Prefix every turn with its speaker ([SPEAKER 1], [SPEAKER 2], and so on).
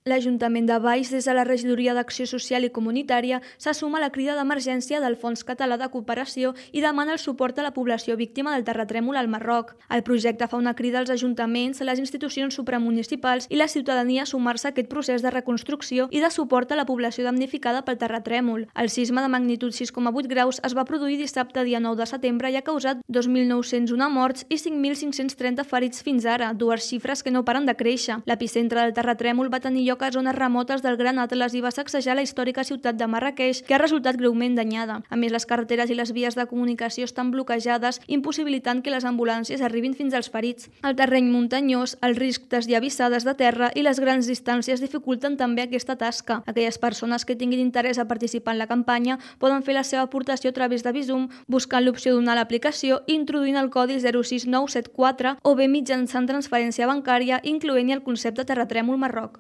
[SPEAKER 1] L'Ajuntament de Valls, des de la Regidoria d'Acció Social i Comunitària, se suma a la crida d'emergència del Fons Català de Cooperació i demana el suport a la població víctima del terratrèmol al Marroc. El projecte fa una crida als ajuntaments, les institucions supramunicipals i la ciutadania a sumar-se a aquest procés de reconstrucció i de suport a la població damnificada pel terratrèmol. El sisme de magnitud 6,8 graus es va produir dissabte, dia 9 de setembre, i ha causat 2.901 morts i 5.530 ferits fins ara, dues xifres que no paren de créixer. L'epicentre del terratrèmol va tenir lloc a zones remotes del Gran Atles i va sacsejar la històrica ciutat de Marràqueix, que ha resultat greument danyada. A més, les carreteres i les vies de comunicació estan bloquejades, impossibilitant que les ambulàncies arribin fins als ferits. El terreny muntanyós, el risc desllavissades de terra i les grans distàncies dificulten també aquesta tasca. Aquelles persones que tinguin interès a participar en la campanya poden fer la seva aportació a través de Bizum, buscant l'opció Donar a l'aplicació i introduint el codi 06974 o bé mitjançant transferència bancària, incloent-hi el concepte terratrèmol Marroc.